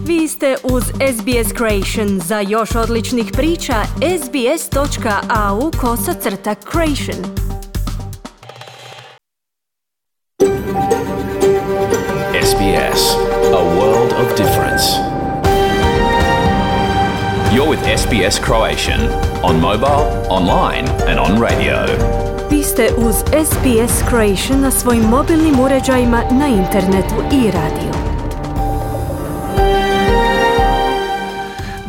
Vi ste uz SBS Creation. Za još odličnih priča, sbs.au/creation. SBS, a world of difference. You're with SBS Croatian on mobile, online and on radio. Vi ste uz SBS Creation na svojim mobilnim uređajima, na internetu i radiju.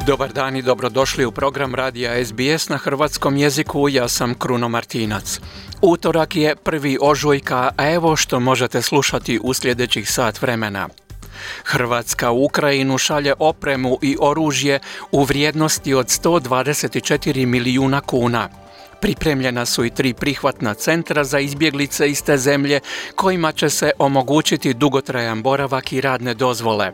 Dobar dan i dobrodošli u program radija SBS na hrvatskom jeziku. Ja sam Kruno Martinac. Utorak je 1. ožujka, a evo što možete slušati u sljedećih sat vremena. Hrvatska u Ukrajinu šalje opremu i oružje u vrijednosti od 124 milijuna kuna. Pripremljena su i 3 prihvatna centra za izbjeglice iz te zemlje kojima će se omogućiti dugotrajan boravak i radne dozvole.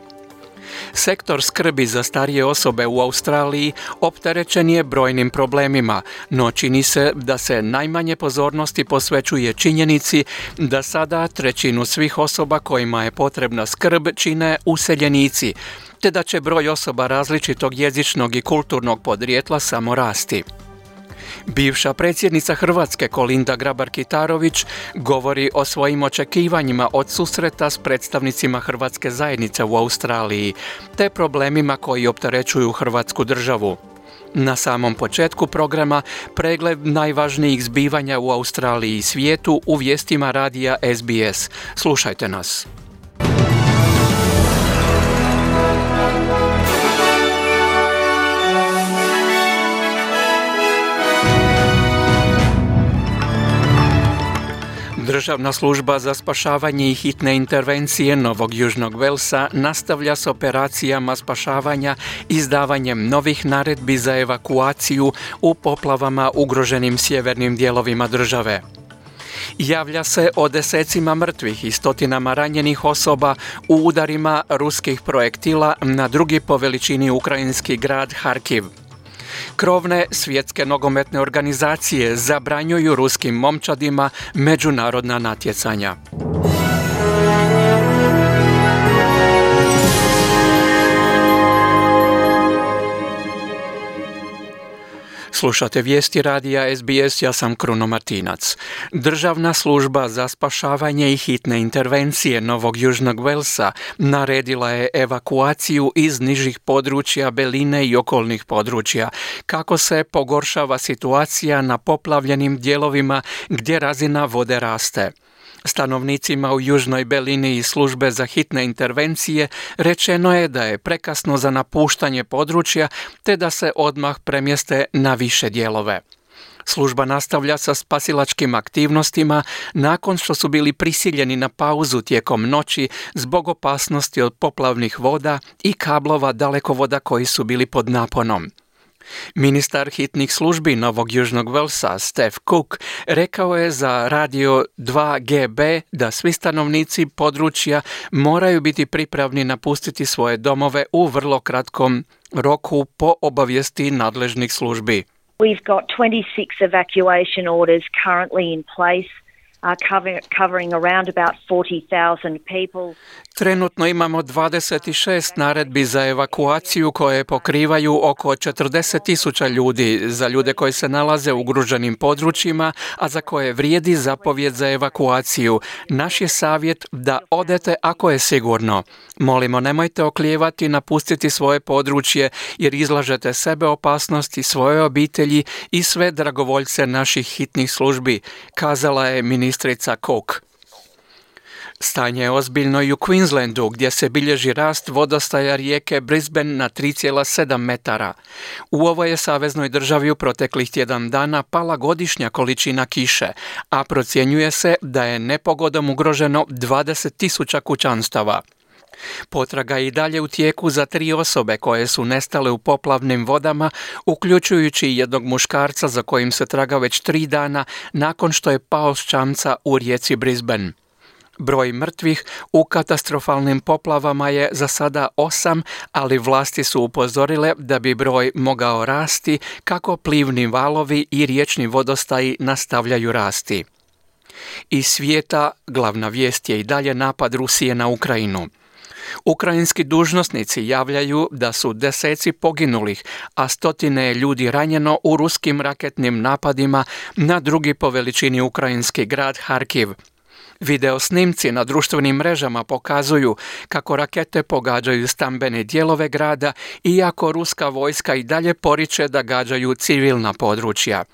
Sektor skrbi za starije osobe u Australiji opterećen je brojnim problemima, no čini se da se najmanje pozornosti posvećuje činjenici da sada 1/3 svih osoba kojima je potrebna skrb čine useljenici, te da će broj osoba različitog jezičnog i kulturnog podrijetla samo rasti. Bivša predsjednica Hrvatske Kolinda Grabar-Kitarović govori o svojim očekivanjima od susreta s predstavnicima hrvatske zajednice u Australiji, te problemima koji opterećuju Hrvatsku državu. Na samom početku programa pregled najvažnijih zbivanja u Australiji i svijetu u vijestima radija SBS. Slušajte nas. Državna služba za spašavanje i hitne intervencije Novog Južnog Velsa nastavlja s operacijama spašavanja izdavanjem novih naredbi za evakuaciju u poplavama ugroženim sjevernim dijelovima države. Javlja se o desecima mrtvih i stotinama ranjenih osoba u udarima ruskih projektila na drugi po veličini ukrajinski grad Harkiv. Krovne svjetske nogometne organizacije zabranjuju ruskim momčadima međunarodna natjecanja. Slušate vijesti radija SBS, ja sam Kruno Martinac. Državna služba za spašavanje i hitne intervencije Novog Južnog Velsa naredila je evakuaciju iz nižih područja Beline i okolnih područja, kako se pogoršava situacija na poplavljenim dijelovima gdje razina vode raste. Stanovnicima u Južnoj Belini i službe za hitne intervencije rečeno je da je prekasno za napuštanje područja te da se odmah premjeste na više dijelove. Služba nastavlja sa spasilačkim aktivnostima nakon što su bili prisiljeni na pauzu tijekom noći zbog opasnosti od poplavnih voda i kablova dalekovoda koji su bili pod naponom. Ministar hitnih službi Novog Južnog Velsa, Steph Cook, rekao je za radio 2GB da svi stanovnici područja moraju biti pripravni napustiti svoje domove u vrlo kratkom roku po obavijesti nadležnih službi. We've got 26 evacuation orders currently in place. Covering around about 40,000 people. Trenutno imamo 26 naredbi za evakuaciju koje pokrivaju oko 40,000 ljudi, za ljude koji se nalaze u ugroženim područjima, a za koje vrijedi zapovjed za evakuaciju. Naš je savjet da odete ako je sigurno. Molimo, nemojte oklijevati napustiti svoje područje jer izlažete sebe opasnosti, svoje obitelji i sve dragovoljce naših hitnih službi, kazala je ministrica Cook. Stanje je ozbiljno i u Queenslandu, gdje se bilježi rast vodostaja rijeke Brisbane na 3,7 metara. U ovoj je saveznoj državi u proteklih tjedan dana pala godišnja količina kiše, a procjenjuje se da je nepogodom ugroženo 20,000 kućanstava. Potraga je i dalje u tijeku za 3 osobe koje su nestale u poplavnim vodama, uključujući jednog muškarca za kojim se traga već 3 dana nakon što je pao s čamca u rijeci Brisbane. Broj mrtvih u katastrofalnim poplavama je za sada 8, ali vlasti su upozorile da bi broj mogao rasti kako plivni valovi i riječni vodostaji nastavljaju rasti. Iz svijeta glavna vijest je i dalje napad Rusije na Ukrajinu. Ukrajinski dužnosnici javljaju da su deseci poginulih, a stotine je ljudi ranjeno u ruskim raketnim napadima na drugi po veličini ukrajinski grad Harkiv. Video snimci na društvenim mrežama pokazuju kako rakete pogađaju stambene dijelove grada, iako ruska vojska i dalje poriče da gađaju civilna područja.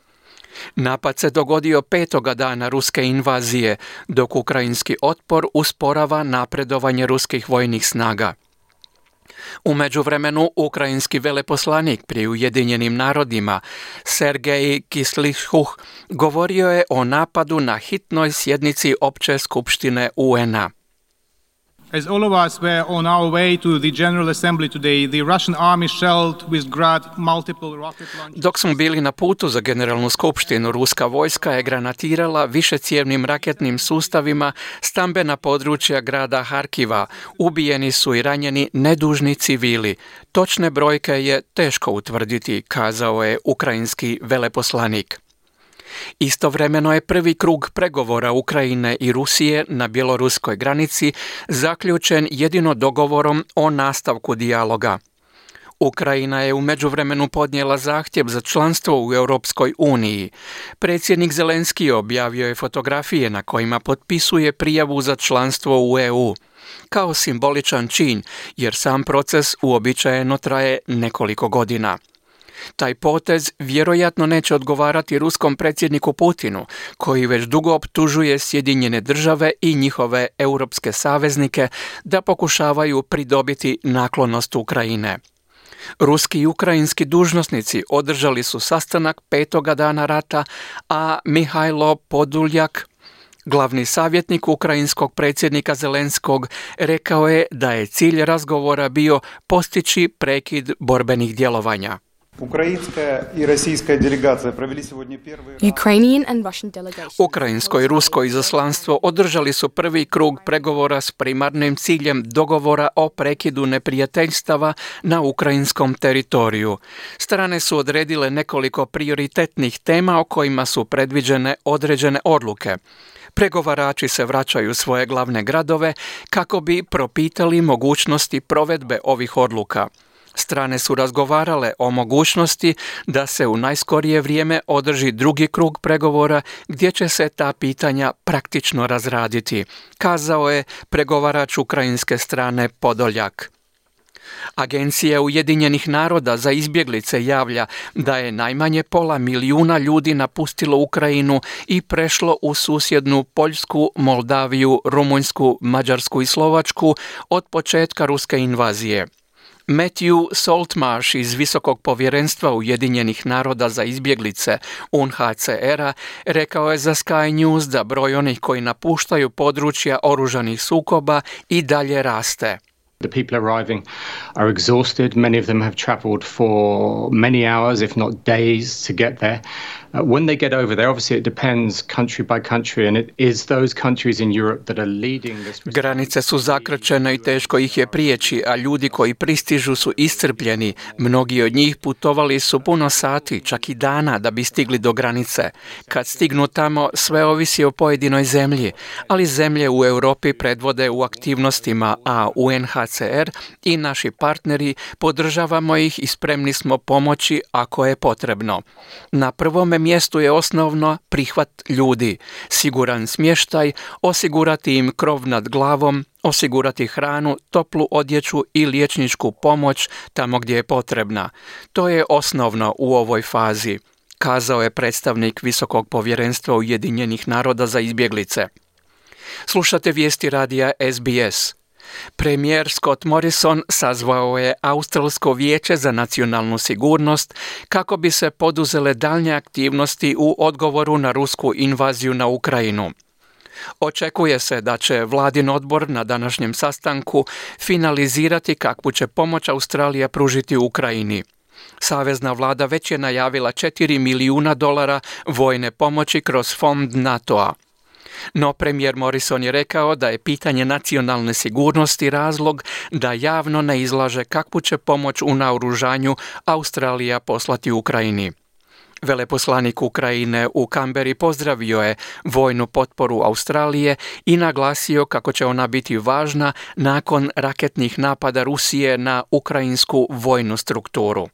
Napad se dogodio 5. dana ruske invazije, dok ukrajinski otpor usporava napredovanje ruskih vojnih snaga. U međuvremenu, ukrajinski veleposlanik pri Ujedinjenim narodima, Sergej Kislychuh, govorio je o napadu na hitnoj sjednici Opće skupštine UN-a. As all of us were on our way to the General Assembly today, the Russian army shelled with grad multiple rocket launchers. Dok smo bili na putu za Generalnu skupštinu, ruska vojska je granatirala višecijevnim raketnim sustavima stambena područja grada Harkiva. Ubijeni su i ranjeni nedužni civili. Točne brojke je teško utvrditi, kazao je ukrajinski veleposlanik. Istovremeno je prvi krug pregovora Ukrajine i Rusije na bjeloruskoj granici zaključen jedino dogovorom o nastavku dijaloga. Ukrajina je u međuvremenu podnijela zahtjev za članstvo u Europskoj uniji. Predsjednik Zelenski objavio je fotografije na kojima potpisuje prijavu za članstvo u EU. Kao simboličan čin, jer sam proces uobičajeno traje nekoliko godina. Taj potez vjerojatno neće odgovarati ruskom predsjedniku Putinu, koji već dugo optužuje Sjedinjene države i njihove europske saveznike da pokušavaju pridobiti naklonost Ukrajine. Ruski i ukrajinski dužnosnici održali su sastanak 5. dana rata, a Mihajlo Podoljak, glavni savjetnik ukrajinskog predsjednika Zelenskog, rekao je da je cilj razgovora bio postići prekid borbenih djelovanja. Ukrajinsko i rusko izaslanstvo održali su prvi krug pregovora s primarnim ciljem dogovora o prekidu neprijateljstava na ukrajinskom teritoriju. Strane su odredile nekoliko prioritetnih tema o kojima su predviđene određene odluke. Pregovarači se vraćaju u svoje glavne gradove kako bi propitali mogućnosti provedbe ovih odluka. Strane su razgovarale o mogućnosti da se u najskorije vrijeme održi drugi krug pregovora gdje će se ta pitanja praktično razraditi, kazao je pregovarač ukrajinske strane Podoljak. Agencija Ujedinjenih naroda za izbjeglice javlja da je najmanje 500 milijuna ljudi napustilo Ukrajinu i prešlo u susjednu Poljsku, Moldaviju, Rumunjsku, Mađarsku i Slovačku od početka ruske invazije. Matthew Saltmarsh iz Visokog povjerenstva Ujedinjenih naroda za izbjeglice UNHCR-a rekao je za Sky News da broj onih koji napuštaju područja oružanih sukoba i dalje raste. The people arriving are exhausted. Many of them have traveled for many hours, if not days, to get there. When they get over there, obviously it depends country by country, and it is those countries in Europe that are leading this. Granice su zakrčene i teško ih je prijeći, a ljudi koji pristižu su iscrpljeni. Mnogi od njih putovali su puno sati, čak i dana, da bi stigli do granice. Kad stignu tamo, sve ovisi o pojedinoj zemlji, ali zemlje u Europi predvode u aktivnostima, a UNHCR i naši partneri podržavamo ih i spremni smo pomoći ako je potrebno. Na prvome mjestu je osnovno prihvat ljudi, siguran smještaj, osigurati im krov nad glavom, osigurati hranu, toplu odjeću i liječničku pomoć tamo gdje je potrebna. To je osnovno u ovoj fazi, kazao je predstavnik Visokog povjerenstva Ujedinjenih naroda za izbjeglice. Slušate vijesti radija SBS. Premijer Scott Morrison sazvao je Australsko vijeće za nacionalnu sigurnost kako bi se poduzele daljnje aktivnosti u odgovoru na rusku invaziju na Ukrajinu. Očekuje se da će vladin odbor na današnjem sastanku finalizirati kakvu će pomoć Australija pružiti Ukrajini. Savezna vlada već je najavila $4 milijuna vojne pomoći kroz fond NATO-a. No premijer Morrison je rekao da je pitanje nacionalne sigurnosti razlog da javno ne izlaže kakvu će pomoć u naoružanju Australija poslati Ukrajini. Veleposlanik Ukrajine u Kamberi pozdravio je vojnu potporu Australije i naglasio kako će ona biti važna nakon raketnih napada Rusije na ukrajinsku vojnu strukturu.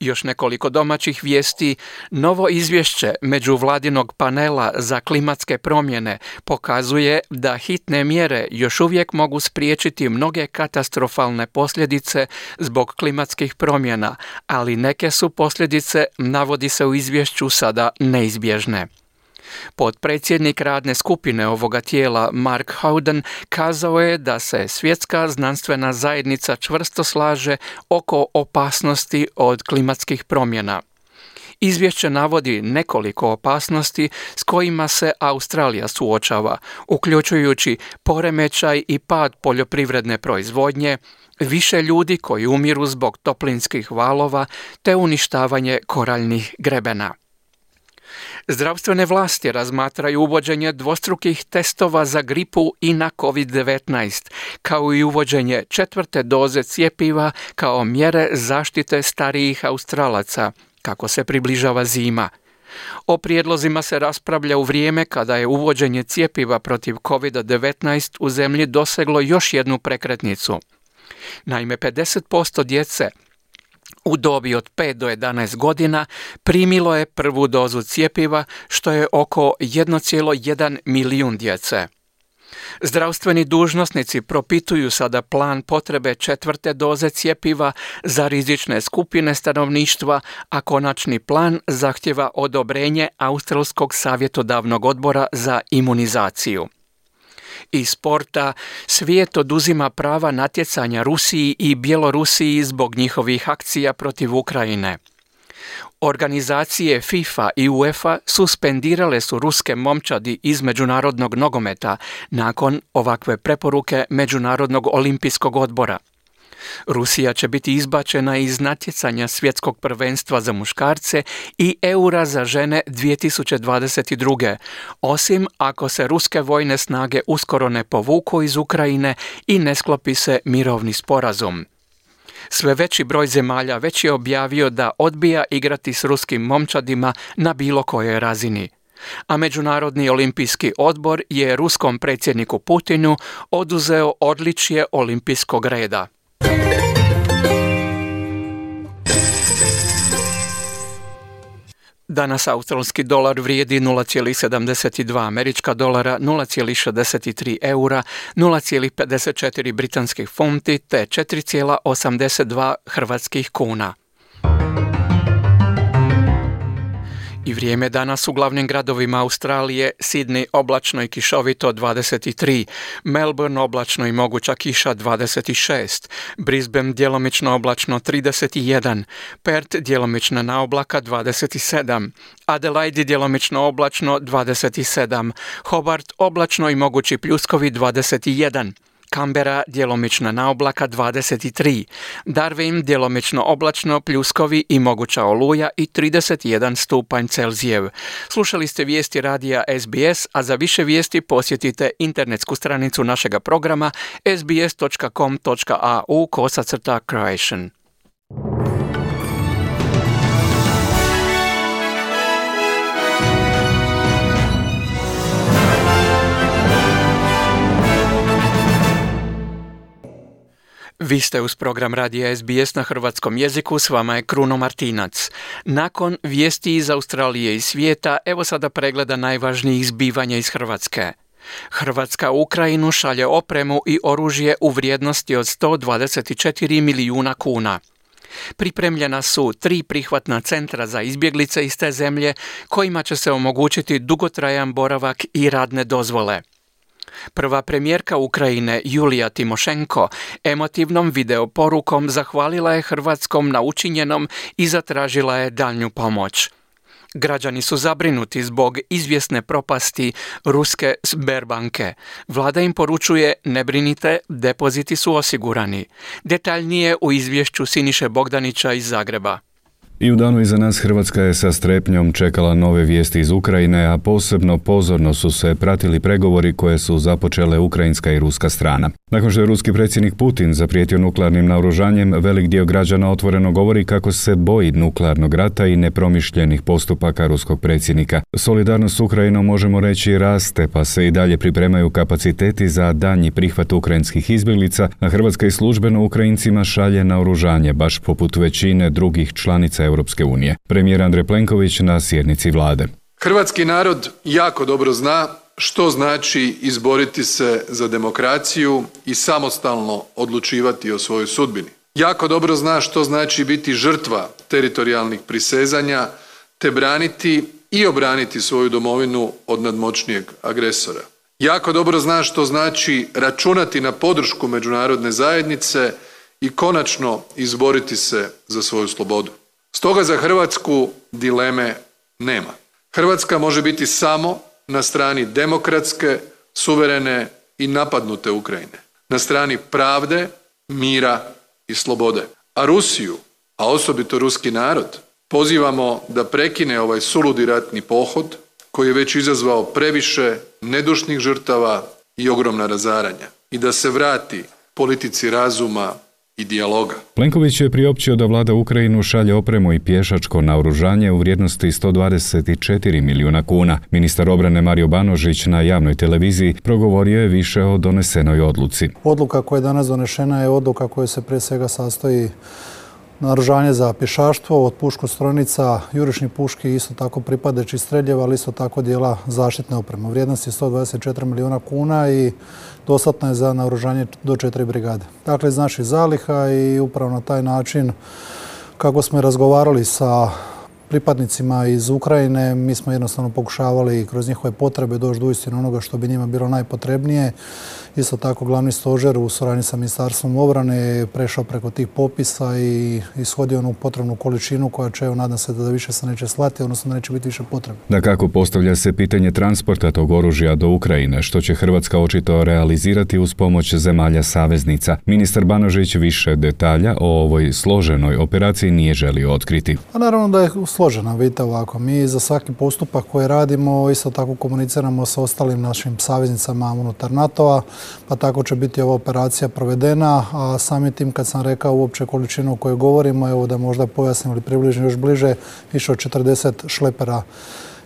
Još nekoliko domaćih vijesti. Novo izvješće međuvladinog panela za klimatske promjene pokazuje da hitne mjere još uvijek mogu spriječiti mnoge katastrofalne posljedice zbog klimatskih promjena, ali neke su posljedice, navodi se u izvješću, sada neizbježne. Potpredsjednik radne skupine ovoga tijela Mark Howden kazao je da se svjetska znanstvena zajednica čvrsto slaže oko opasnosti od klimatskih promjena. Izvješće navodi nekoliko opasnosti s kojima se Australija suočava, uključujući poremećaj i pad poljoprivredne proizvodnje, više ljudi koji umiru zbog toplinskih valova te uništavanje koraljnih grebena. Zdravstvene vlasti razmatraju uvođenje dvostrukih testova za gripu i na COVID-19, kao i uvođenje 4. doze cjepiva kao mjere zaštite starijih Australaca, kako se približava zima. O prijedlozima se raspravlja u vrijeme kada je uvođenje cjepiva protiv COVID-19 u zemlji doseglo još jednu prekretnicu. Naime, 50% djece u dobi od 5 do 11 godina primilo je prvu dozu cjepiva, što je oko 1,1 milijun djece. Zdravstveni dužnosnici propituju sada plan potrebe 4. doze cjepiva za rizične skupine stanovništva, a konačni plan zahtjeva odobrenje Australskog savjetodavnog odbora za imunizaciju. Iz sporta, svijet oduzima prava natjecanja Rusiji i Bjelorusiji zbog njihovih akcija protiv Ukrajine. Organizacije FIFA i UEFA suspendirale su ruske momčadi iz međunarodnog nogometa nakon ovakve preporuke Međunarodnog olimpijskog odbora. Rusija će biti izbačena iz natjecanja svjetskog prvenstva za muškarce i Eura za žene 2022. Osim ako se ruske vojne snage uskoro ne povuku iz Ukrajine i ne sklopi se mirovni sporazum. Sve veći broj zemalja već je objavio da odbija igrati s ruskim momčadima na bilo kojoj razini. A Međunarodni olimpijski odbor je ruskom predsjedniku Putinu oduzeo odličje olimpijskog reda. Danas australski dolar vrijedi 0,72 američka dolara, 0,63 eura, 0,54 britanskih funti te 4,82 hrvatskih kuna. I vrijeme danas u glavnim gradovima Australije: Sydney oblačno i kišovito 23, Melbourne oblačno i moguća kiša 26, Brisbane djelomično oblačno 31, Perth djelomična naoblaka 27, Adelaide djelomično oblačno 27, Hobart oblačno i mogući pljuskovi 21, Canberra djelomična naoblaka 23, Darwin djelomično oblačno, pljuskovi i moguća oluja i 31 stupanj Celzijev. Slušali ste vijesti radija SBS, a za više vijesti posjetite internetsku stranicu našega programa sbs.com.au/Croatian. Vi ste uz program radija SBS na hrvatskom jeziku, s vama je Kruno Martinac. Nakon vijesti iz Australije i svijeta, evo sada pregleda najvažnijih zbivanja iz Hrvatske. Hrvatska u Ukrajinu šalje opremu i oružje u vrijednosti od 124 milijuna kuna. Pripremljena su 3 prihvatna centra za izbjeglice iz te zemlje, kojima će se omogućiti dugotrajan boravak i radne dozvole. Prva premijerka Ukrajine Julija Timošenko emotivnom videoporukom zahvalila je Hrvatskom na učinjenom i zatražila je daljnju pomoć. Građani su zabrinuti zbog izvjesne propasti ruske Sberbanke. Vlada im poručuje: ne brinite, depoziti su osigurani. Detaljnije u izvješću Siniše Bogdanića iz Zagreba. I u danu iza nas Hrvatska je sa strepnjom čekala nove vijesti iz Ukrajine, a posebno pozorno su se pratili pregovori koje su započele ukrajinska i ruska strana. Nakon što je ruski predsjednik Putin zaprijetio nuklearnim naoružanjem, velik dio građana otvoreno govori kako se boji nuklearnog rata i nepromišljenih postupaka ruskog predsjednika. Solidarnost s Ukrajinom, možemo reći, raste, pa se i dalje pripremaju kapaciteti za daljnji prihvat ukrajinskih izbjeglica, a Hrvatska i službeno Ukrajincima šalje naoružanje, baš poput većine drugih članica Europske unije. Premijer Andrej Plenković na sjednici vlade. Hrvatski narod jako dobro zna što znači izboriti se za demokraciju i samostalno odlučivati o svojoj sudbini. Jako dobro zna što znači biti žrtva teritorijalnih prisezanja te braniti i obraniti svoju domovinu od nadmoćnijeg agresora. Jako dobro zna što znači računati na podršku međunarodne zajednice i konačno izboriti se za svoju slobodu. Stoga za Hrvatsku dileme nema. Hrvatska može biti samo na strani demokratske, suverene i napadnute Ukrajine. Na strani pravde, mira i slobode. A Rusiju, a osobito ruski narod, pozivamo da prekine ovaj suludi ratni pohod koji je već izazvao previše nedušnih žrtava i ogromna razaranja i da se vrati politici razuma i dijaloga. Plenković je priopćio da vlada Ukrajinu šalje opremu i pješačko naoružanje u vrijednosti 124 milijuna kuna. Ministar obrane Mario Banožić na javnoj televiziji progovorio je više o donesenoj odluci. Odluka koja je danas donešena je odluka koja se prije svega sastoji naoružanje za pješaštvo, od puškostrojnica, jurišnih puški, isto tako pripadajućih streljeva, ali isto tako dijela zaštitne opreme. Vrijednost je 124 milijuna kuna i dostatna je za naoružanje do 4 brigade. Dakle, iz naših zaliha i upravo na taj način kako smo razgovarali sa pripadnicima iz Ukrajine, mi smo jednostavno pokušavali kroz njihove potrebe doći do uistinu onoga što bi njima bilo najpotrebnije. Isto tako glavni stožer u suradnji sa Ministarstvom obrane je prešao preko tih popisa i ishodio onu potrebnu količinu koja će, nadam se da više se neće slati, odnosno da neće biti više potrebe. Dakako, postavlja se pitanje transporta tog oružja do Ukrajine, što će Hrvatska očito realizirati uz pomoć zemalja saveznica. Ministar Banožić više detalja o ovoj složenoj operaciji nije želio otkriti. Pa naravno da je složena, vidite ovako. Mi za svaki postupak koji radimo isto tako komuniciramo sa ostalim našim saveznicama unutar NATO-a, pa tako će biti ova operacija provedena, a samim tim kad sam rekao uopće količinu o kojoj govorimo, evo da možda pojasnim ili približim još bliže, više od 40 šlepera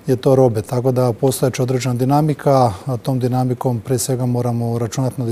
je to robe, tako da postojeća određena dinamika, a tom dinamikom prije svega moramo računati na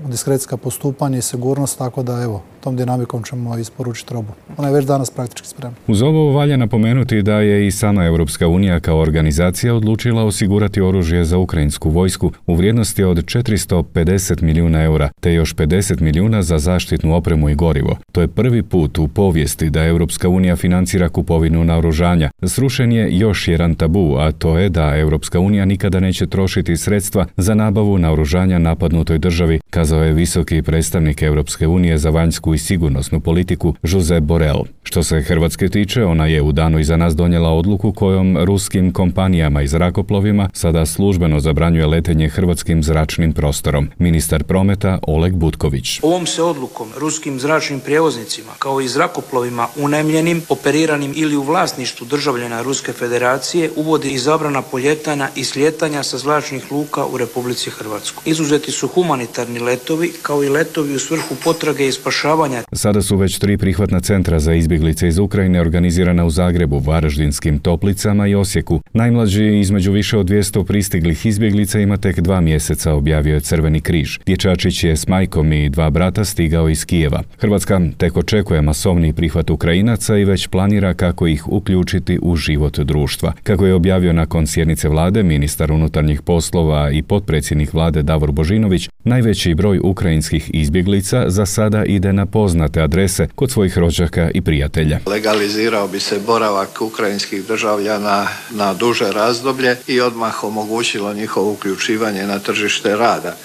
diskrecijska postupanja i sigurnost, tako da evo, tom dinamikom ćemo isporučiti robu. Ona je već danas praktički spremna. Uz ovo valja napomenuti da je i sama Europska unija kao organizacija odlučila osigurati oružje za ukrajinsku vojsku u vrijednosti od 450 milijuna eura, te još 50 milijuna za zaštitnu opremu i gorivo. To je prvi put u povijesti da Europska unija financira kupovinu naoružanja. Srušen je još jedan tabu, a to je da Europska unija nikada neće trošiti sredstva za nabavu naoružanja napadnutoj državi, kazao je visoki predstavnik Europske unije za vanjsku i sigurnosnu politiku Josep Borrell. Što se Hrvatske tiče, ona je u danu iza nas donijela odluku kojom ruskim kompanijama i zrakoplovima sada službeno zabranjuje letenje hrvatskim zračnim prostorom. Ministar prometa Oleg Butković. Ovom se odlukom ruskim zračnim prijevoznicima, kao i zrakoplovima unajmljenim, operiranim ili u vlasništvu državljana Ruske federacije, uvodi i zabrana poljetanja i slijetanja sa zračnih luka u Republici Hrvatskoj. Izuzeti su humanitarni letovi, kao i letovi u svrhu potrage i spašavanja. Sada su već 3 prihvatna centra za izbjeglice iz Ukrajine organizirana u Zagrebu, Varaždinskim Toplicama i Osijeku. Najmlađi između više od 200 pristiglih izbjeglica ima tek 2 mjeseca, objavio je Crveni križ. Dječačić je s majkom i 2 brata stigao iz Kijeva. Hrvatska tek očekuje masovni prihvat Ukrajinaca i već planira kako ih uključiti u život društva. Kako je objavio nakon sjednice vlade ministar unutarnjih poslova i potpredsjednik vlade Davor Božinović, najveći broj ukrajinskih izbjeglica za sada ide na poznate adrese kod svojih rođaka i prijatelja. Legalizirao bi se boravak ukrajinskih državljana na duže razdoblje i odmah omogućilo njihovo uključivanje na tržište rada.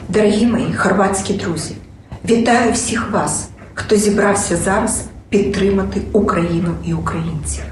Дорогі мої хорватські друзі, вітаю всіх вас, хто зібрався зараз підтримати Україну і українців.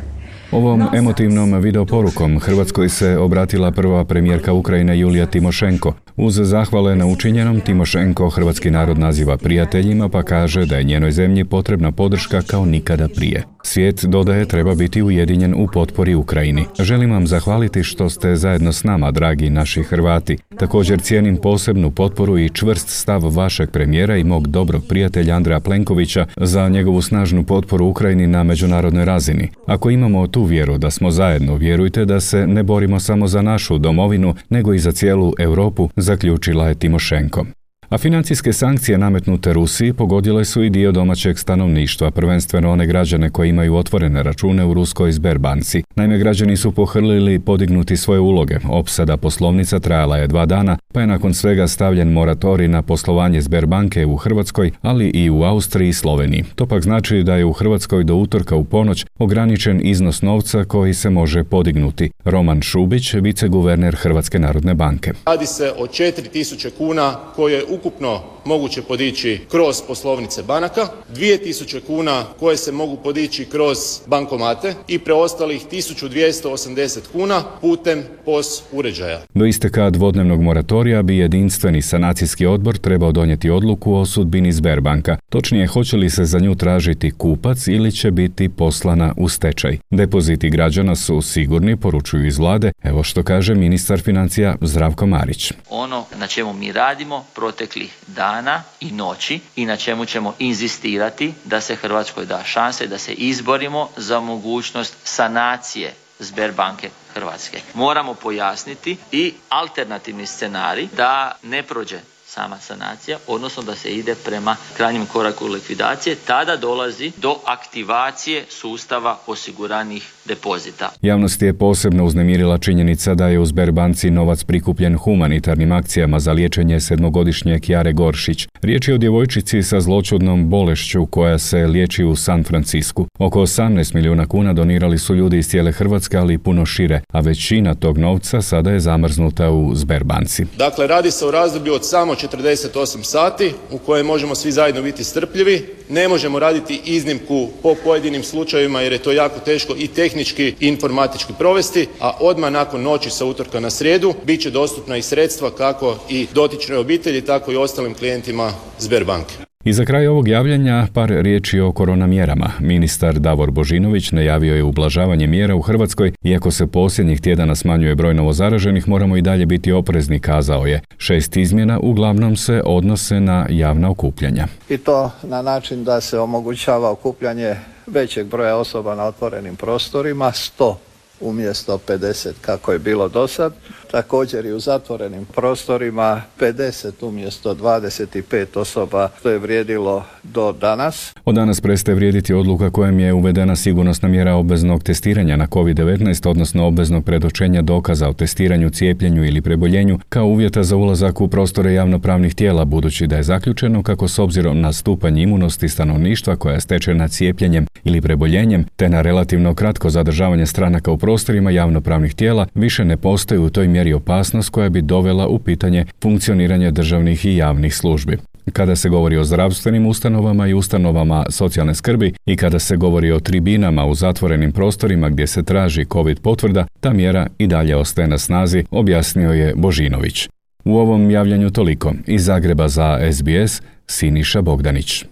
Ovom emotivnom videoporukom Hrvatskoj se obratila prva premijerka Ukrajine Julija Timošenko. Uz zahvale na učinjenom, Timošenko hrvatski narod naziva prijateljima, pa kaže da je njenoj zemlji potrebna podrška kao nikada prije. Svijet, dodaje, treba biti ujedinjen u potpori Ukrajini. Želim vam zahvaliti što ste zajedno s nama, dragi naši Hrvati. Također cijenim posebnu potporu i čvrst stav vašeg premijera i mog dobrog prijatelja Andreja Plenkovića za njegovu snažnu potporu Ukrajini na međunarodnoj razini. Ako imamo tu vjeru da smo zajedno, vjerujte da se ne borimo samo za našu domovinu, nego i za cijelu Europu, zaključila je Timošenko. A financijske sankcije nametnute Rusiji pogodile su i dio domaćeg stanovništva, prvenstveno one građane koji imaju otvorene račune u ruskoj Sberbanci. Naime, građani su pohrlili podignuti svoje uloge. Opsada poslovnica trajala je 2 dana, pa je nakon svega stavljen moratorij na poslovanje Sberbanke u Hrvatskoj, ali i u Austriji i Sloveniji. To pak znači da je u Hrvatskoj do utorka u ponoć ograničen iznos novca koji se može podignuti. Roman Šubić, viceguverner Hrvatske narodne banke. Radi se o 4.000 kuna koje ukupno moguće podići kroz poslovnice banaka, 2.000 kuna koje se mogu podići kroz bankomate i preostalih 1.280 kuna putem POS uređaja. Do isteka dvodnevnog moratorija bi jedinstveni sanacijski odbor trebao donijeti odluku o sudbini Sberbanka. Točnije, hoće li se za nju tražiti kupac ili će biti poslana u stečaj. Depoziti građana su sigurni, poručuju iz vlade. Evo što kaže ministar financija Zdravko Marić. Ono na čemu mi radimo proteklih dana i noći i na čemu ćemo inzistirati da se Hrvatskoj da šanse da se izborimo za mogućnost sanacije Sberbanke Hrvatske. Moramo pojasniti i alternativni scenarij da ne prođe sama sanacija, odnosno da se ide prema krajnjem koraku likvidacije, tada dolazi do aktivacije sustava osiguranih depozita. Javnost je posebno uznemirila činjenica da je u Sberbanci novac prikupljen humanitarnim akcijama za liječenje 7-godišnje Kjare Goršić. Riječ je o djevojčici sa zloćudnom bolešću koja se liječi u San Francisku. Oko 18 milijuna kuna donirali su ljudi iz cijele Hrvatske, ali i puno šire, a većina tog novca sada je zamrznuta u Sberbanci. Dakle, radi se o razdoblju od samo 48 sati u kojem možemo svi zajedno biti strpljivi. Ne možemo raditi iznimku po pojedinim slučajevima jer je to jako teško i tehnički i informatički provesti, a odmah nakon noći sa utorka na srijedu bit će dostupna i sredstva kako i dotičnoj obitelji, tako i ostalim klijentima Sberbanke. I za kraj ovog javljanja par riječi o korona mjerama. Ministar Davor Božinović najavio je ublažavanje mjera u Hrvatskoj. Iako se posljednjih tjedana smanjuje broj novozaraženih, moramo i dalje biti oprezni, kazao je. 6 izmjena uglavnom se odnose na javna okupljanja. I to na način da se omogućava okupljanje većeg broja osoba na otvorenim prostorima, 100 umjesto 50 kako je bilo do sad. Također i u zatvorenim prostorima 50 umjesto 25 osoba, što je vrijedilo do danas. Od danas prestaje vrijediti odluka kojom je uvedena sigurnosna mjera obveznog testiranja na COVID-19, odnosno obveznog predočenja dokaza o testiranju, cijepljenju ili preboljenju kao uvjeta za ulazak u prostore javnopravnih tijela, budući da je zaključeno kako s obzirom na stupanj imunosti stanovništva koja je stečena cijepljenjem ili preboljenjem, te na relativno kratko zadržavanje stranaka u prostorima javnopravnih tijela, više ne postoji u toj mjeri opasnost koja bi dovela u pitanje funkcioniranje državnih i javnih službi. Kada se govori o zdravstvenim ustanovama i ustanovama socijalne skrbi i kada se govori o tribinama u zatvorenim prostorima gdje se traži COVID potvrda, ta mjera i dalje ostaje na snazi, objasnio je Božinović. U ovom javljanju toliko. Iz Zagreba za SBS, Siniša Bogdanić.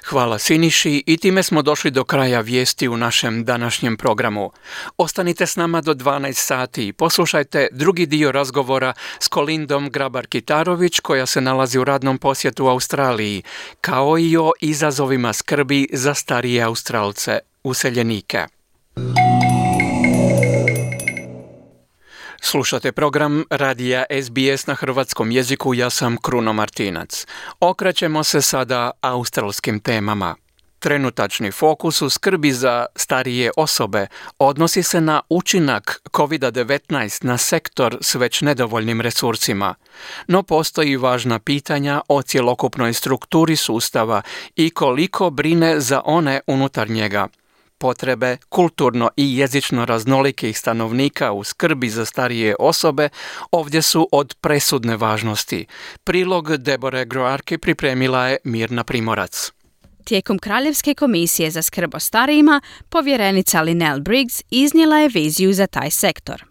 Hvala Siniši i time smo došli do kraja vijesti u našem današnjem programu. Ostanite s nama do 12 sati i poslušajte drugi dio razgovora s Kolindom Grabar-Kitarović koja se nalazi u radnom posjetu Australiji, kao i o izazovima skrbi za starije Australce, useljenike. Slušate program radija SBS na hrvatskom jeziku, ja sam Kruno Martinac. Okrećemo se sada australskim temama. Trenutačni fokus u skrbi za starije osobe odnosi se na učinak COVID-19 na sektor s već nedovoljnim resursima. No postoji važna pitanja o cjelokupnoj strukturi sustava i koliko brine za one unutar njega. Potrebe kulturno i jezično raznolikih stanovnika u skrbi za starije osobe ovdje su od presudne važnosti. Prilog Debore Groarke pripremila je Mirna Primorac. Tijekom Kraljevske komisije za skrb o starijima, povjerenica Lynelle Briggs iznijela je viziju za taj sektor.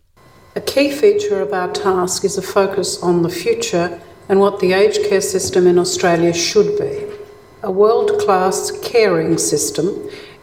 A key feature of our task is a focus on the future and what the aged care system in Australia should be. A world-class caring system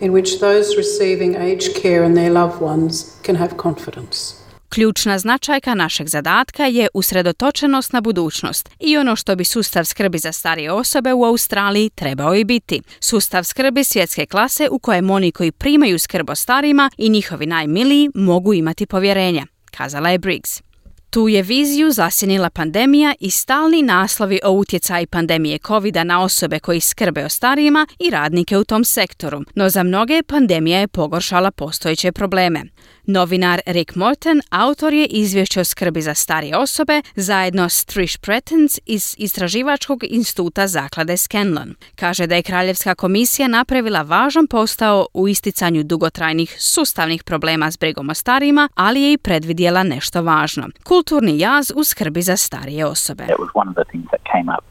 in which those receiving aged care and their loved ones can have confidence. Ključna značajka našeg zadatka je usredotočenost na budućnost i ono što bi sustav skrbi za starije osobe u Australiji trebao i biti. Sustav skrbi svjetske klase u kojem oni koji primaju skrb o starima i njihovi najmiliji mogu imati povjerenja, kazala je Briggs. Tu je viziju zasjenila pandemija i stalni naslovi o utjecaju pandemije COVID-a na osobe koji skrbe o starijima i radnike u tom sektoru, no za mnoge pandemija je pogoršala postojeće probleme. Novinar Rick Morton autor je izvješća o skrbi za starije osobe zajedno s Trish Pretens iz Istraživačkog instituta zaklade Scanlon. Kaže da je Kraljevska komisija napravila važan posao u isticanju dugotrajnih sustavnih problema s brigom o starijima, ali je i predvidjela nešto važno. Kulturni jaz u skrbi za starije osobe. It was one of the things that came up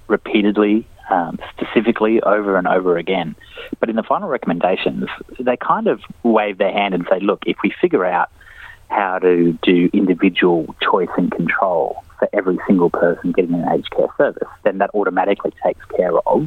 repeatedly, specifically over and over again. But in the final recommendations, they kind of wave their hand and say, look, if we figure out how to do individual choice and control for every single person getting an aged care service, then that automatically takes care of.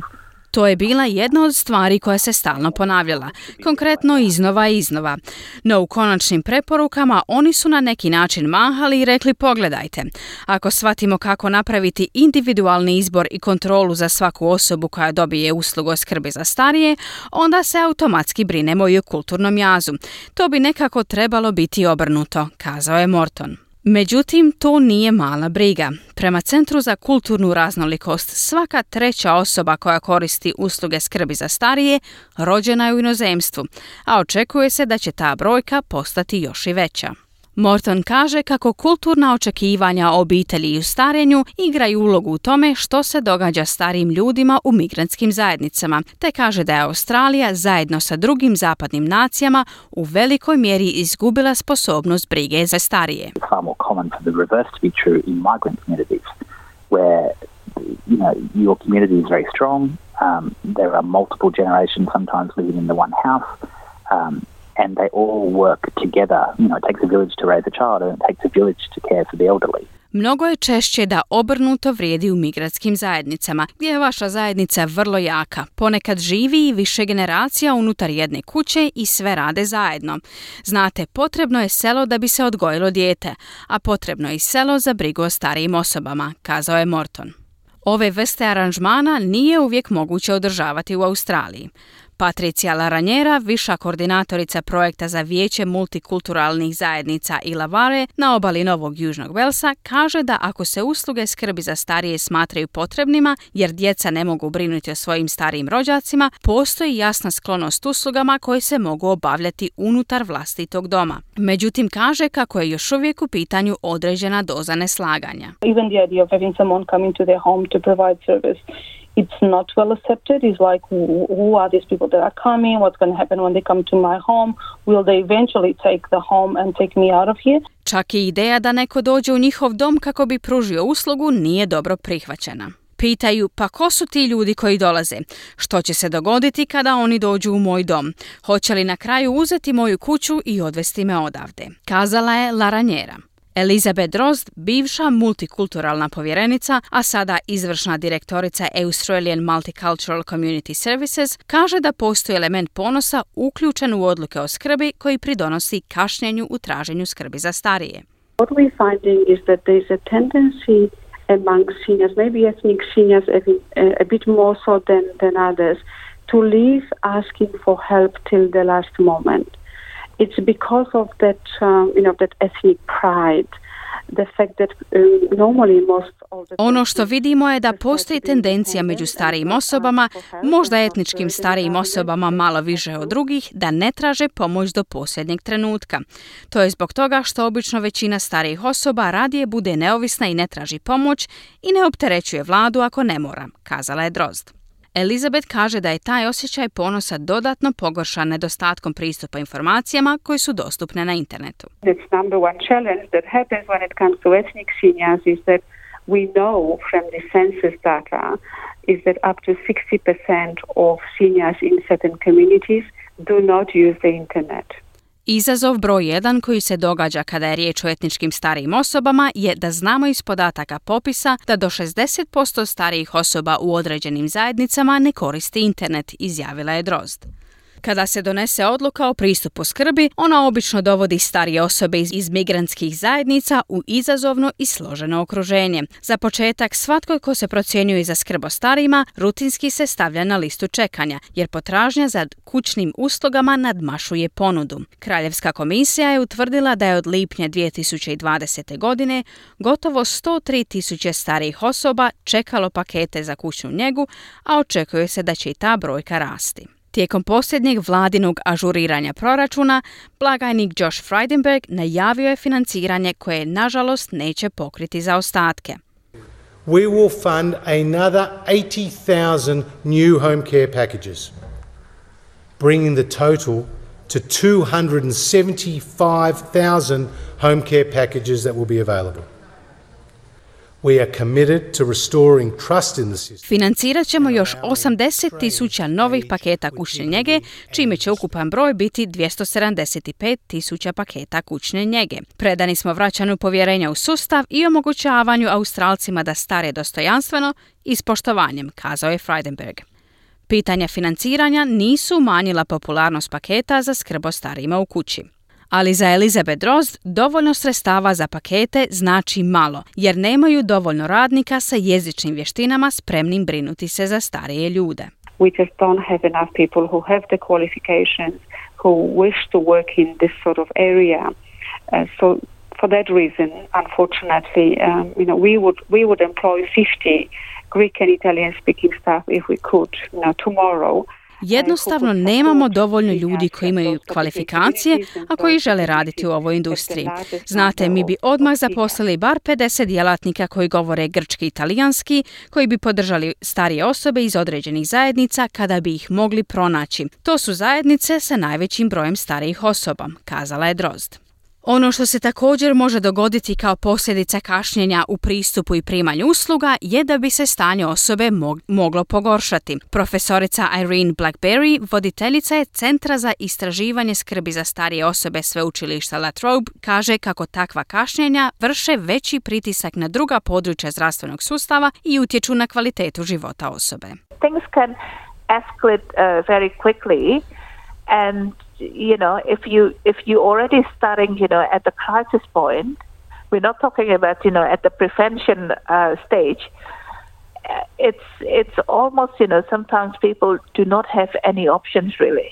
To je bila jedna od stvari koja se stalno ponavljala, konkretno iznova i iznova. No u konačnim preporukama oni su na neki način mahali i rekli pogledajte, ako shvatimo kako napraviti individualni izbor i kontrolu za svaku osobu koja dobije uslugu o skrbi za starije, onda se automatski brinemo i o kulturnom jazu. To bi nekako trebalo biti obrnuto, kazao je Morton. Međutim, to nije mala briga. Prema Centru za kulturnu raznolikost, svaka treća osoba koja koristi usluge skrbi za starije rođena je u inozemstvu, a očekuje se da će ta brojka postati još i veća. Morton kaže kako kulturna očekivanja o obitelji i u starenju igraju ulogu u tome što se događa starijim ljudima u migrantskim zajednicama, te kaže da je Australija zajedno sa drugim zapadnim nacijama u velikoj mjeri izgubila sposobnost brige za starije. It's far more common for the reverse to be true in migrant communities, where your community is very strong. There are multiple generations sometimes living in the one house. And they all work together. It takes a village to raise a child and it takes a village to care for the elderly. Mnogo je češće da obrnuto vrijedi u migratskim zajednicama, gdje je vaša zajednica vrlo jaka. Ponekad živi i više generacija unutar jedne kuće i sve rade zajedno. Znate, potrebno je selo da bi se odgojilo dijete, a potrebno je i selo za brigu o starijim osobama, kazao je Morton. Ove vrste aranžmana nije uvijek moguće održavati u Australiji. Patricia Laranjera, viša koordinatorica projekta za vijeće multikulturalnih zajednica Illawarra na obali Novog Južnog Velsa, kaže da ako se usluge skrbi za starije smatraju potrebnima jer djeca ne mogu brinuti o svojim starijim rođacima, postoji jasna sklonost uslugama koje se mogu obavljati unutar vlastitog doma. Međutim, kaže kako je još uvijek u pitanju određena doza neslaganja. Even the idea of having someone come into their home to provide service, it's not well accepted. It's like, who are these people that are coming? What's going to happen when they come to my home? Will they eventually take the home and take me out of here? Čak i ideja da neko dođe u njihov dom kako bi pružio uslugu nije dobro prihvaćena. Pitaju, pa ko su ti ljudi koji dolaze? Što će se dogoditi kada oni dođu u moj dom? Hoće li na kraju uzeti moju kuću i odvesti me odavde? Kazala je Laranjera. Elizabeth Drozd, bivša multikulturalna povjerenica, a sada izvršna direktorica Australian Multicultural Community Services, kaže da postoji element ponosa uključen u odluke o skrbi koji pridonosi kašnjenju u traženju skrbi za starije. What we're finding is that there's a tendency among seniors, maybe ethnic seniors a bit more so than others, to leave asking for help till the last moment. It's because of that, that ethnic pride, the fact that normally most of the... Ono što vidimo je da postoji tendencija među starijim osobama, možda etničkim starijim osobama malo više od drugih, da ne traže pomoć do posljednjeg trenutka. To je zbog toga što obično većina starijih osoba radije bude neovisna i ne traži pomoć i ne opterećuje vladu ako ne mora, kazala je Drozd. Elizabeth kaže da je taj osjećaj ponosa dodatno pogoršan nedostatkom pristupa informacijama koji su dostupne na internetu. The number one challenge that happens when it comes to ethnic seniors is that we know from the census data is that up to 60% of seniors in certain communities do not use the internet. Izazov broj 1 koji se događa kada je riječ o etničkim starijim osobama je da znamo iz podataka popisa da do 60% starijih osoba u određenim zajednicama ne koristi internet, izjavila je Drozd. Kada se donese odluka o pristupu skrbi, ona obično dovodi starije osobe iz migrantskih zajednica u izazovno i složeno okruženje. Za početak, svatko ko se procjenjuje za skrb o starijima rutinski se stavlja na listu čekanja, jer potražnja za kućnim uslugama nadmašuje ponudu. Kraljevska komisija je utvrdila da je od lipnja 2020. godine gotovo 103.000 starijih osoba čekalo pakete za kućnu njegu, a očekuje se da će i ta brojka rasti. Tijekom posljednjeg vladinog ažuriranja proračuna, blagajnik Josh Frydenberg najavio je financiranje koje, nažalost, neće pokriti zaostatke. We will fund another 80,000 new home care packages, bringing the total to 275,000 home care packages that will be available. We are committed to restoring trust in the system. Financirat ćemo još 80.000 novih paketa kućne njege, čime će ukupan broj biti 275.000 paketa kućne njege. Predani smo vraćanju povjerenja u sustav i omogućavanju Australcima da stare dostojanstveno i s poštovanjem, kazao je Frydenberg. Pitanja financiranja nisu umanjila popularnost paketa za skrb o starijima u kući. Ali za Elizabeth Drozd dovoljno sredstava za pakete znači malo, jer nemaju dovoljno radnika sa jezičnim vještinama spremnim brinuti se za starije ljude. We just don't have enough people who have the qualifications, who wish to work in this sort of area. So for that reason, unfortunately, we would employ 50 Greek and Italian speaking staff if we could, tomorrow. Jednostavno nemamo dovoljno ljudi koji imaju kvalifikacije, a koji žele raditi u ovoj industriji. Znate, mi bi odmah zaposlili bar 50 djelatnika koji govore grčki i talijanski, koji bi podržali starije osobe iz određenih zajednica kada bi ih mogli pronaći. To su zajednice sa najvećim brojem starijih osoba, kazala je Drozd. Ono što se također može dogoditi kao posljedica kašnjenja u pristupu i primanju usluga je da bi se stanje osobe moglo pogoršati. Profesorica Irene Blackberry, voditeljica je Centra za istraživanje skrbi za starije osobe sveučilišta La Trobe, kaže kako takva kašnjenja vrše veći pritisak na druga područja zdravstvenog sustava i utječu na kvalitetu života osobe. Things can escalate very quickly and if you already starting, at the crisis point, we're not talking about, at the prevention stage. It's almost, sometimes people do not have any options really.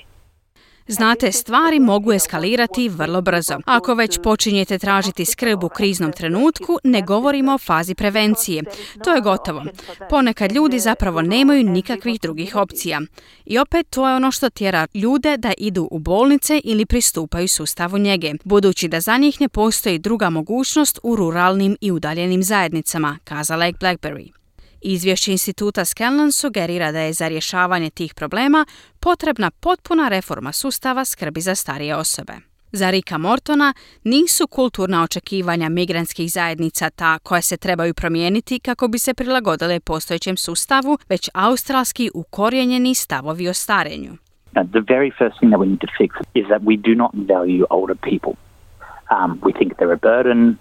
Znate, stvari mogu eskalirati vrlo brzo. Ako već počinjete tražiti skrb u kriznom trenutku, ne govorimo o fazi prevencije. To je gotovo. Ponekad ljudi zapravo nemaju nikakvih drugih opcija. I opet to je ono što tjera ljude da idu u bolnice ili pristupaju sustavu njege, budući da za njih ne postoji druga mogućnost u ruralnim i udaljenim zajednicama, kazala je Blackberry. Izvješće instituta Scanlon sugerira da je za rješavanje tih problema potrebna potpuna reforma sustava skrbi za starije osobe. Za Ricka Mortona nisu kulturna očekivanja migrantskih zajednica ta koja se trebaju promijeniti kako bi se prilagodile postojećem sustavu, već australski ukorijenjeni stavovi o starenju. The very first thing that we need to fix is that we do not value older people. We think they're a burden.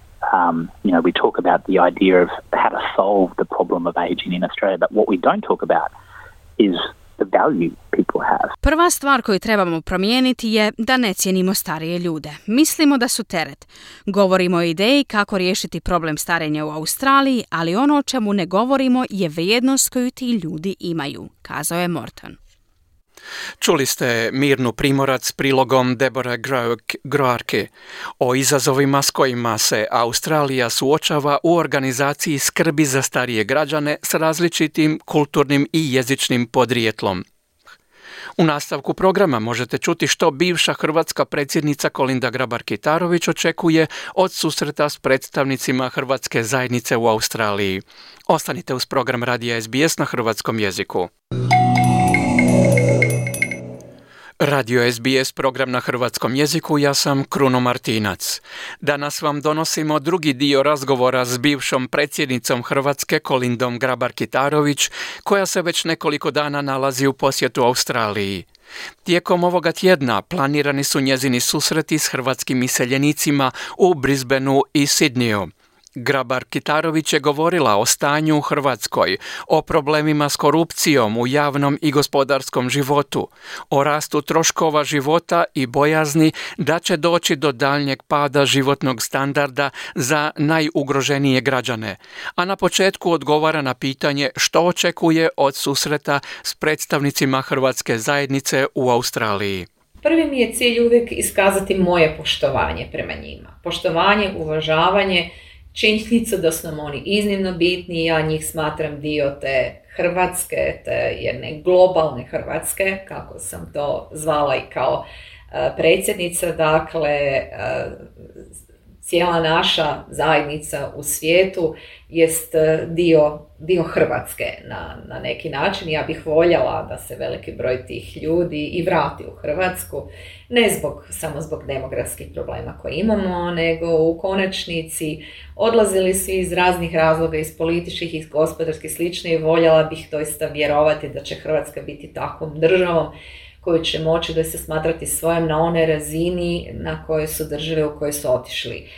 We talk about the idea of how to solve the problem of aging in Australia, but what we don't talk about is the value people have. Prva stvar koju trebamo promijeniti je da ne cijenimo starije ljude. Mislimo da su teret. Govorimo o ideji kako riješiti problem starenja u Australiji, ali ono o čemu ne govorimo je vrijednost koju ti ljudi imaju, kazao je Morton. Čuli ste Mirnu Primorac s prilogom Deborah Groarke o izazovima s kojima se Australija suočava u organizaciji skrbi za starije građane s različitim kulturnim i jezičnim podrijetlom. U nastavku programa možete čuti što bivša hrvatska predsjednica Kolinda Grabar-Kitarović očekuje od susreta s predstavnicima hrvatske zajednice u Australiji. Ostanite uz program Radija SBS na hrvatskom jeziku. Radio SBS, program na hrvatskom jeziku, ja sam Kruno Martinac. Danas vam donosimo drugi dio razgovora s bivšom predsjednicom Hrvatske Kolindom Grabar-Kitarović, koja se već nekoliko dana nalazi u posjetu Australiji. Tijekom ovoga tjedna planirani su njezini susreti s hrvatskim iseljenicima u Brisbaneu i Sydneyu. Grabar-Kitarović je govorila o stanju u Hrvatskoj, o problemima s korupcijom u javnom i gospodarskom životu, o rastu troškova života i bojazni da će doći do daljnjeg pada životnog standarda za najugroženije građane, a na početku odgovara na pitanje što očekuje od susreta s predstavnicima hrvatske zajednice u Australiji. Prvi mi je cilj uvijek iskazati moje poštovanje prema njima. Poštovanje, uvažavanje, činjenicu da su nam oni iznimno bitni, ja njih smatram dio te Hrvatske, te jedne globalne Hrvatske, kako sam to zvala i kao predsjednica, dakle cijela naša zajednica u svijetu jest dio Hrvatske na neki način. Ja bih voljela da se veliki broj tih ljudi i vrati u Hrvatsku, ne samo zbog demografskih problema koje imamo, nego u konačnici odlazili su iz raznih razloga, iz političkih, iz gospodarskih slično, i voljela bih doista vjerovati da će Hrvatska biti takvom državom koju će moći da se smatrati svojom na onoj razini na kojoj su države u kojoj su otišli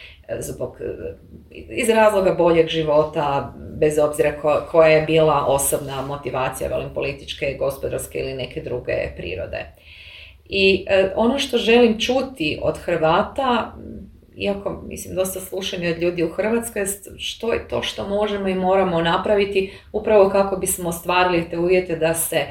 iz razloga boljeg života, bez obzira koja je bila osobna motivacija, političke, gospodarske ili neke druge prirode. I ono što želim čuti od Hrvata, iako dosta slušam od ljudi u Hrvatskoj, što je to što možemo i moramo napraviti upravo kako bismo ostvarili te uvjete da se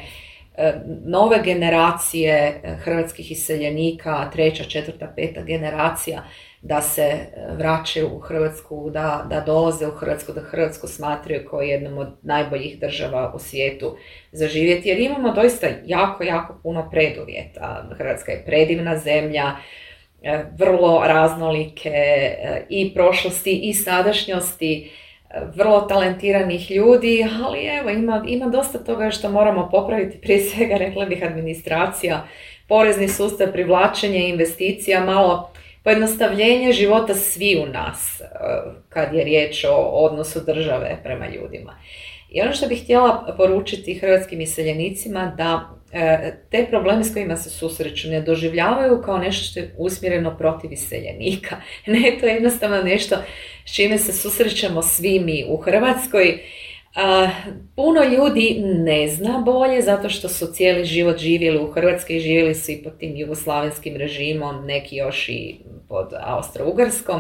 nove generacije hrvatskih iseljenika, 3., 4., 5. generacija, da se vraćaju u Hrvatsku, da dolaze u Hrvatsku, da Hrvatsku smatraju kao jednom od najboljih država u svijetu za živjeti, jer imamo doista jako, jako puno preduvjeta. Hrvatska je predivna zemlja, vrlo raznolike i prošlosti i sadašnjosti, vrlo talentiranih ljudi, ali evo, ima dosta toga što moramo popraviti, prije svega, rekla bih, administracija, porezni sustav, privlačenje investicija, malo pojednostavljenje života svi u nas, kad je riječ o odnosu države prema ljudima. I ono što bih htjela poručiti hrvatskim iseljenicima, da te probleme s kojima se susreću ne doživljavaju kao nešto što je usmjereno protiv iseljenika. Ne, to je jednostavno nešto s čime se susrećemo svi mi u Hrvatskoj. Puno ljudi ne zna bolje zato što su cijeli život živjeli u Hrvatskoj, živjeli su i pod tim jugoslavenskim režimom, neki još i pod Austro-Ugarskom.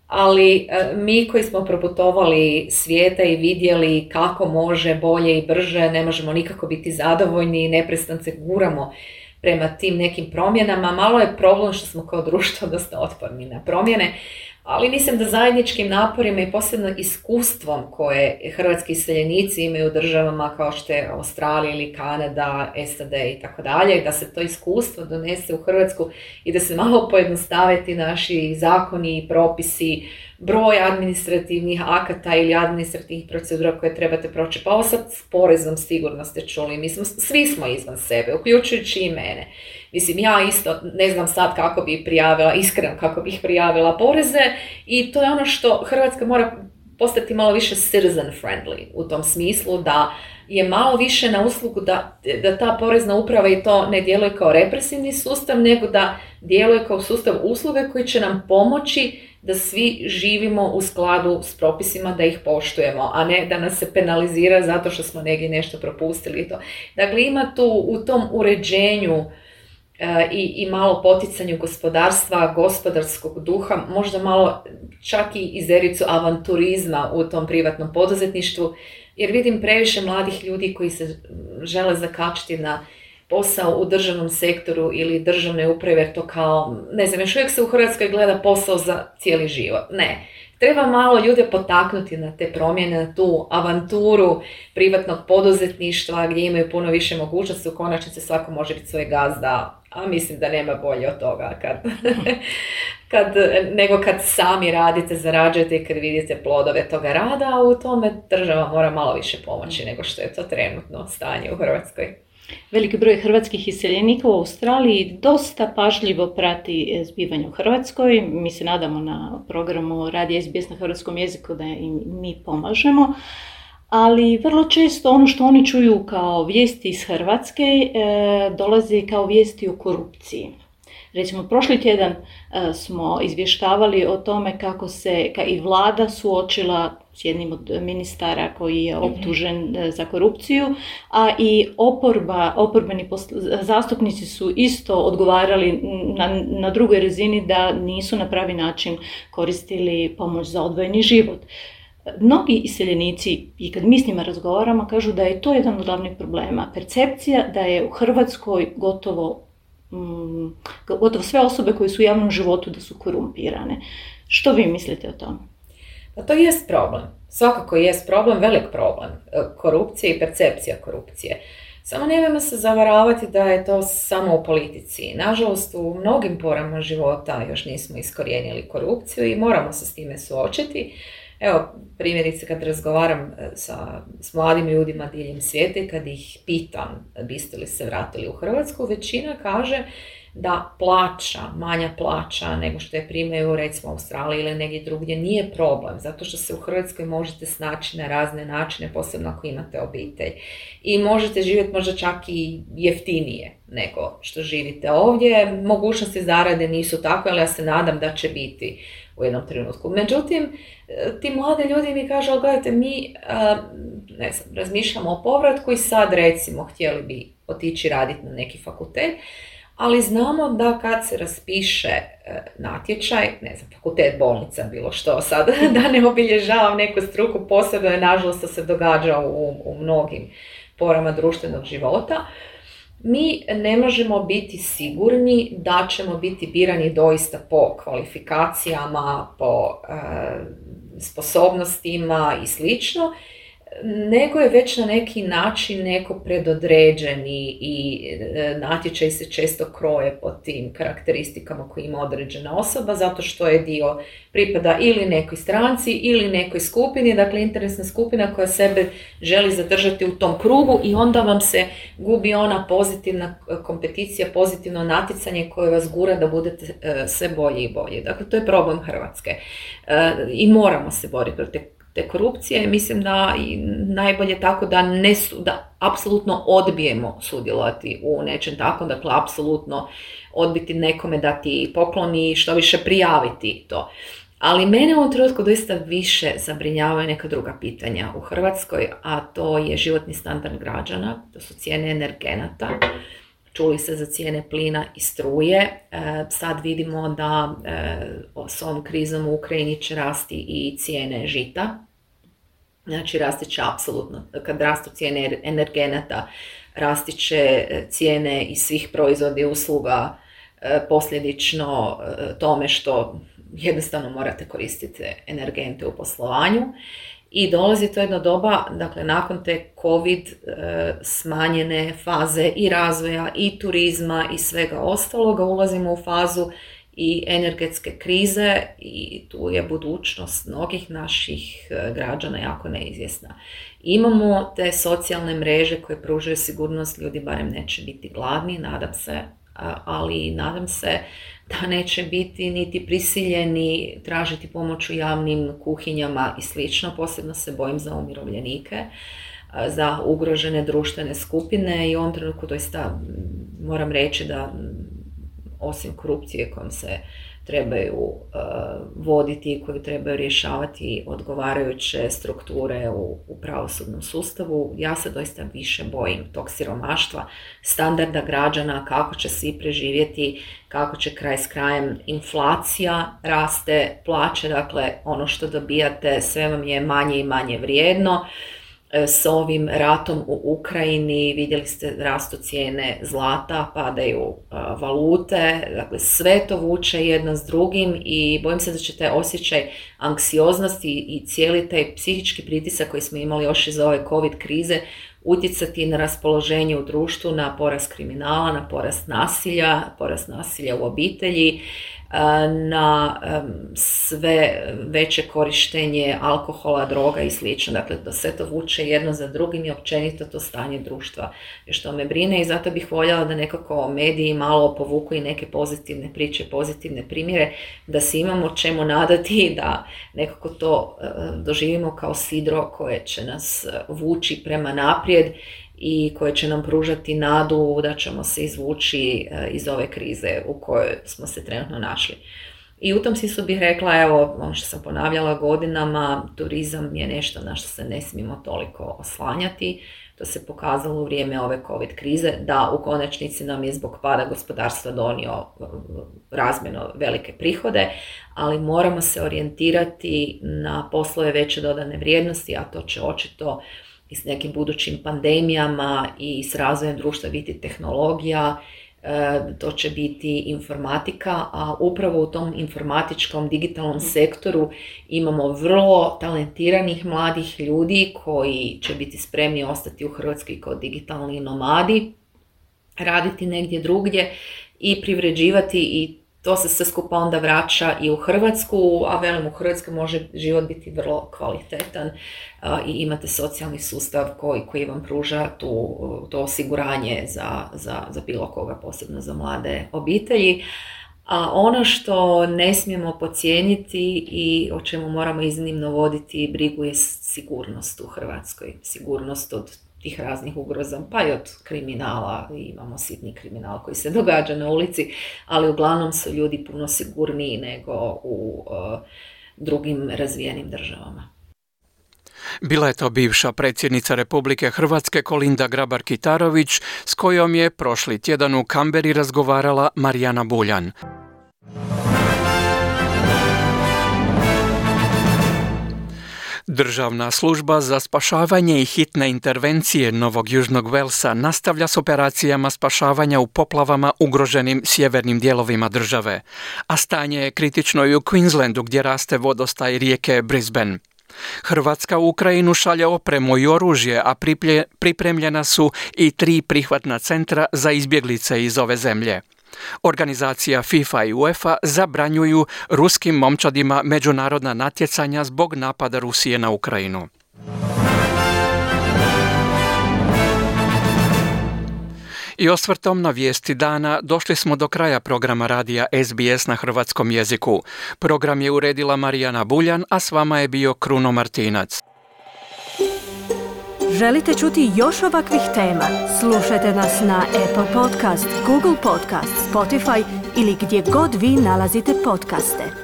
Ali mi koji smo proputovali svijeta i vidjeli kako može bolje i brže, ne možemo nikako biti zadovoljni i neprestano se guramo prema tim nekim promjenama. Malo je problem što smo kao društvo dosta otporni na promjene, ali mislim da zajedničkim naporima i posebno iskustvom koje hrvatski iseljenici imaju u državama kao što je Australija ili Kanada, SAD i tako dalje, da se to iskustvo donese u Hrvatsku i da se malo pojednostave ti naši zakoni i propisi, broj administrativnih akata ili administrativnih procedura koje trebate proći. Pa ovo sad s porezom sigurno ste čuli, svi smo izvan sebe, uključujući i mene. Ja isto ne znam sad kako bih prijavila, iskreno kako bih prijavila poreze, i to je ono što Hrvatska mora postati malo više citizen friendly, u tom smislu da je malo više na uslugu da ta porezna uprava i to ne djeluje kao represivni sustav, nego da djeluje kao sustav usluge koji će nam pomoći da svi živimo u skladu s propisima, da ih poštujemo, a ne da nas se penalizira zato što smo negdje nešto propustili. Dakle, ima tu u tom uređenju i malo poticanju gospodarstva, gospodarskog duha, možda malo čak i izericu avanturizma u tom privatnom poduzetništvu, jer vidim previše mladih ljudi koji se žele zakačiti na posao u državnom sektoru ili državne uprave, jer to kao, ne znam, još uvijek se u Hrvatskoj gleda posao za cijeli život. Ne. Treba malo ljude potaknuti na te promjene, na tu avanturu privatnog poduzetništva gdje imaju puno više mogućnosti. U konačnici svako može biti svoj gazda, a mislim da nema bolje od toga nego kad sami radite, zarađujete i kad vidite plodove toga rada, a u tome država mora malo više pomoći nego što je to trenutno stanje u Hrvatskoj. Veliki broj hrvatskih iseljenika u Australiji dosta pažljivo prati zbivanje u Hrvatskoj. Mi se nadamo na programu Radija SBS na hrvatskom jeziku da im mi pomažemo. ali vrlo često ono što oni čuju kao vijesti iz Hrvatske dolazi kao vijesti o korupciji. Recimo, prošli tjedan smo izvještavali o tome kako se i vlada suočila s jednim od ministara koji je optužen za korupciju, a i oporbeni zastupnici su isto odgovarali na drugoj razini da nisu na pravi način koristili pomoć za odvojeni život. Mnogi iseljenici, i kad mi s njima razgovaramo, kažu da je to jedan od glavnih problema. Percepcija da je u Hrvatskoj gotovo sve osobe koje su u javnom životu da su korumpirane. Što vi mislite o tome? Pa to jest problem. Svakako jest problem, velik problem. Korupcija i percepcija korupcije. Samo nemojmo se zavaravati da je to samo u politici. Nažalost, u mnogim porama života još nismo iskorijenili korupciju i moramo se s time suočiti. Evo, primjerice kad razgovaram s mladim ljudima diljem svijeta i kad ih pitam biste li se vratili u Hrvatsku, većina kaže da manja plaća nego što je primaju recimo u Australiji ili negdje drugdje nije problem, zato što se u Hrvatskoj možete snaći na razne načine, posebno ako imate obitelj. I možete živjeti možda čak i jeftinije nego što živite ovdje. Mogućnosti zarade nisu takve, ali ja se nadam da će biti u jednom trenutku. Međutim, ti mlade ljudi mi kažu, gledajte, mi razmišljamo o povratku i sad recimo htjeli bi otići raditi na neki fakultet, ali znamo da kad se raspiše natječaj, fakultet, bolnica, bilo što sad, da ne obilježavam neku struku, posebno je nažalost to se događa u mnogim porama društvenog života, mi ne možemo biti sigurni da ćemo biti birani doista po kvalifikacijama, po sposobnostima i slično, nego je već na neki način neko predodređeni i natječaj se često kroje po tim karakteristikama koje ima određena osoba, zato što je dio pripada ili nekoj stranci ili nekoj skupini, dakle interesna skupina koja sebe želi zadržati u tom krugu i onda vam se gubi ona pozitivna kompeticija, pozitivno natjecanje koje vas gura da budete sve bolji i bolji. Dakle, to je problem Hrvatske i moramo se boriti protiv te korupcije. Mislim da najbolje tako da apsolutno odbijemo sudjelovati u nečem takvom, dakle apsolutno odbiti nekome dati poklon i što više prijaviti to. Ali mene u ovom trenutku doista više zabrinjavaju neka druga pitanja u Hrvatskoj, a to je životni standard građana, to su cijene energenata. Čuli se za cijene plina i struje. Sad vidimo da s ovom krizom u Ukrajini će rasti i cijene žita. Znači, rasti će apsolutno, kad rastu cijene energenata, rasti će cijene i svih proizvoda i usluga, posljedično tome što jednostavno morate koristiti energente u poslovanju. I dolazi to jedno doba, dakle nakon te COVID smanjene faze i razvoja i turizma i svega ostaloga, ulazimo u fazu i energetske krize i tu je budućnost mnogih naših građana jako neizvjesna. Imamo te socijalne mreže koje pružaju sigurnost, ljudi barem neće biti gladni, nadam se, ali nadam se da neće biti niti prisiljeni tražiti pomoć u javnim kuhinjama i slično. Posebno se bojim za umirovljenike, za ugrožene društvene skupine i u ovom trenutku doista moram reći da osim korupcije kojom se trebaju voditi i koju trebaju rješavati odgovarajuće strukture u pravosudnom sustavu, ja se doista više bojim tog siromaštva, standarda građana, kako će svi preživjeti, kako će kraj s krajem inflacija raste, plaće, dakle ono što dobijate sve vam je manje i manje vrijedno. S ovim ratom u Ukrajini vidjeli ste rastu cijene zlata, padaju valute, dakle sve to vuče jedno s drugim i bojim se da će taj osjećaj anksioznosti i cijeli taj psihički pritisak koji smo imali još iz ove COVID krize utjecati na raspoloženje u društvu, na porast kriminala, na porast nasilja u obitelji, na sve veće korištenje alkohola, droga i slično. Dakle, to sve to vuče jedno za drugim i općenito to stanje društva što me brine i zato bih voljela da nekako mediji malo povuku i neke pozitivne priče, pozitivne primjere, da se imamo čemu nadati, da nekako to doživimo kao sidro koje će nas vući prema naprijed i koje će nam pružati nadu da ćemo se izvući iz ove krize u kojoj smo se trenutno našli. I u tom smislu bih rekla, evo, ono što sam ponavljala godinama, turizam je nešto na što se ne smijemo toliko oslanjati. To se pokazalo u vrijeme ove COVID krize, da u konačnici nam je zbog pada gospodarstva donio razmjerno velike prihode, ali moramo se orijentirati na poslove veće dodane vrijednosti, a to će očito i s nekim budućim pandemijama i s razvojem društva biti tehnologija, to će biti informatika, a upravo u tom informatičkom digitalnom sektoru imamo vrlo talentiranih mladih ljudi koji će biti spremni ostati u Hrvatskoj kao digitalni nomadi, raditi negdje drugdje i privređivati i to se sve skupa onda vraća i u Hrvatsku, a velim u Hrvatskoj može život biti vrlo kvalitetan i imate socijalni sustav koji vam pruža to osiguranje za bilo koga, posebno za mlade obitelji. A ono što ne smijemo podcijeniti i o čemu moramo iznimno voditi brigu je sigurnost u Hrvatskoj. Sigurnost od tih raznih ugroza, pa i od kriminala, imamo sitni kriminal koji se događa na ulici, ali uglavnom su ljudi puno sigurniji nego u drugim razvijenim državama. Bila je to bivša predsjednica Republike Hrvatske Kolinda Grabar-Kitarović, s kojom je prošli tjedan u Kamberi razgovarala Marijana Buljan. Državna služba za spašavanje i hitne intervencije Novog Južnog Velsa nastavlja s operacijama spašavanja u poplavama ugroženim sjevernim dijelovima države, a stanje je kritično i u Queenslandu gdje raste vodostaj rijeke Brisbane. Hrvatska u Ukrajinu šalje opremu i oružje, a pripremljena su i 3 prihvatna centra za izbjeglice iz ove zemlje. Organizacija FIFA i UEFA zabranjuju ruskim momčadima međunarodna natjecanja zbog napada Rusije na Ukrajinu. I osvrtom na vijesti dana došli smo do kraja programa radija SBS na hrvatskom jeziku. Program je uredila Marijana Buljan, a s vama je bio Kruno Martinac. Želite čuti još ovakvih tema? Slušajte nas na Apple Podcast, Google Podcast, Spotify ili gdje god vi nalazite podcaste.